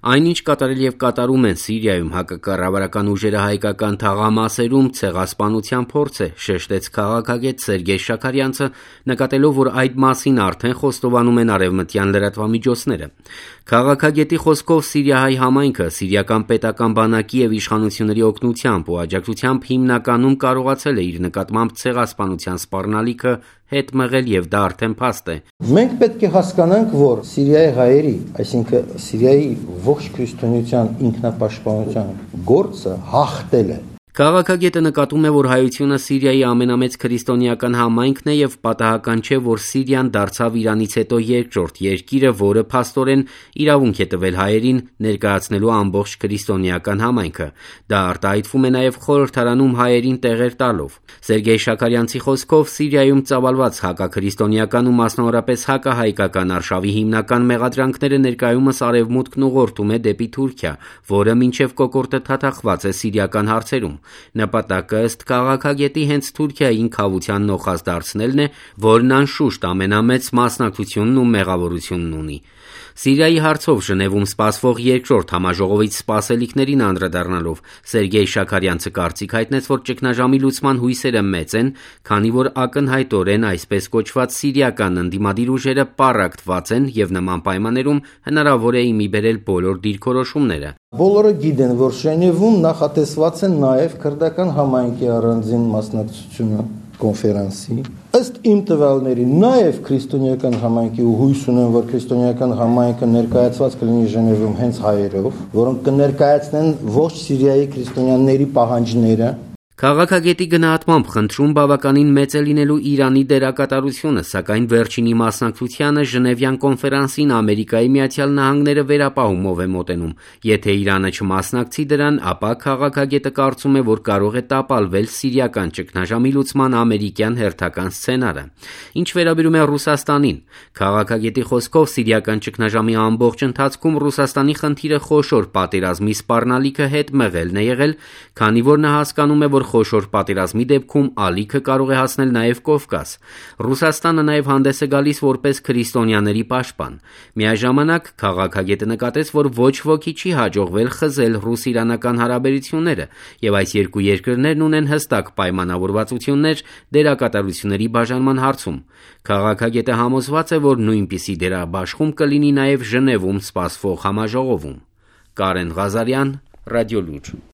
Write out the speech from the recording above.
Այնինչ կատարել եւ կատարում են Սիրիայում հակակառավարական ուժերը հայկական թաղամասերում ցեղասպանության փորձ է, շեշտեց քաղաքագետ Սերգեյ Շաքարյանցը, նկատելով, որ այդ մասին արդեն խոստովանում են արևմտյան լրատվամիջոցները։ Քաղաքագետի խոսքով Սիրիահայ համայնքը սիրիական պետական բանակի եւ իշխանությունների օգնությամբ ու աջակցությամբ հիմնականում կարողացել է իր նկատմամբ ցեղասպանության սպառնալիքը հետ մղել եւ դա արդեն փաստ է։ Մենք պետք է հասկանանք, որ Սիրիայի հայերի, այսինքն Սիրիայի ողջ քրիստոնեության ինքնապաշտպանության գործը հաղթել է։ Քաղաքագետը նկատում է, որ հայությունը Սիրիայի ամենամեծ քրիստոնեական համայնքն է եւ պատահական չէ, որ Սիրիան դարձավ Իրանից հետո երկրորդ երկիրը, որը փաստորեն իրավունք է տվել հայերին ներկայացնելու ամբողջ քրիստոնեական համայնքը։ Դա արտահայտվում է նաեւ խորհրդարանում հայերին տեղեր տալով։ Սերգեյ Շաքարյանցի խոսքով Սիրիայում ծավալված հակաքրիստոնեական ու մասնավորապես հակահայկական արշավի հիմնական մեղադրանքները ներկայումս արևմուտքն ուղղորդում է դեպի Թուրքիա, որը մինչև կոկորդը թաթախված է սիրիական հարցերում։ Նպատակը ըստ քաղաքագետի հենց Թուրքիային քավության նոխազ դարձնելն է, որն անշուշտ ամենամեծ մասնակցությունն ու մեղավորությունն ունի։ Սիրիայի հարցով Ժնևում սպասվող երկրորդ համաժողովից սպասելիքներին անդրադառնալով Սերգեյ Շաքարյանցը կարծիք հայտնեց, որ ճգնաժամի լուծման հույսերը մեծ են, քանի որ ակնհայտորեն այսպես կոչված սիրիական ընդդիմադիր ուժերը պառակտված են եւ նման պայմաններում հնարավոր է իմի բերել բոլոր դիրքորոշումները։ Բոլորը գիտեն, որ Ժնևում նախատեսված է նաև քրդական համայնքի առանձին մասնակցությունը կոնֆերանսի։ Ըստ իմ տվյալների նաև քրիստոնեական համայնքի ու հույս ունեմ, որ քրիստոնեական համայնքը ներկայացված կլինի Ժնևում հենց հայերով, որոնք կներկայացնեն ողջ Սիրիայի քրիստոնյաների պահանջները։ Քաղաքագետի գնահատմամբ խնդրում բավականին մեծ է լինելու Իրանի դերակատարությունը, սակայն վերջինի մասնակցությանը Ժնևյան կոնֆերանսին Ամերիկայի Միացյալ Նահանգները վերապահումով է մոտենում։ Եթե Իրանը չմասնակցի դրան, ապա քաղաքագետը կարծում է, որ կարող է տապալվել սիրիական ճգնաժամի լուծման ամերիկյան հերթական սցենարը։ Ինչ վերաբերում է Ռուսաստանին, քաղաքագետի խոսքով սիրիական ճգնաժամի ամբողջ ընթացքում Ռուսաստանի խնդիրը խոշոր պատերազմի սպառնալիքը հետ մղելն է եղել, քանի որ նա հասկանում է, որ խոշոր պատերազմի դեպքում ալիքը կարող է հասնել նաև Կովկաս։ Ռուսաստանը նաև հանդես է գալիս որպես քրիստոնյաների պաշտպան։ Միաժամանակ քաղաքագետը նկատեց, որ ոչ ոքի չի հաջողվել խզել ռուս-իրանական հարաբերությունները, եւ այս երկու երկրներն ունեն հստակ պայմանավորվածություններ դերակատարությունների բաժանման հարցում։ Քաղաքագետը համոզված է, որ նույնպիսի դերաբաշխում կլինի նաև Ժնևում սպասվող համաժողովում։ Կարեն Ղազարյան, Ռադիոլուր։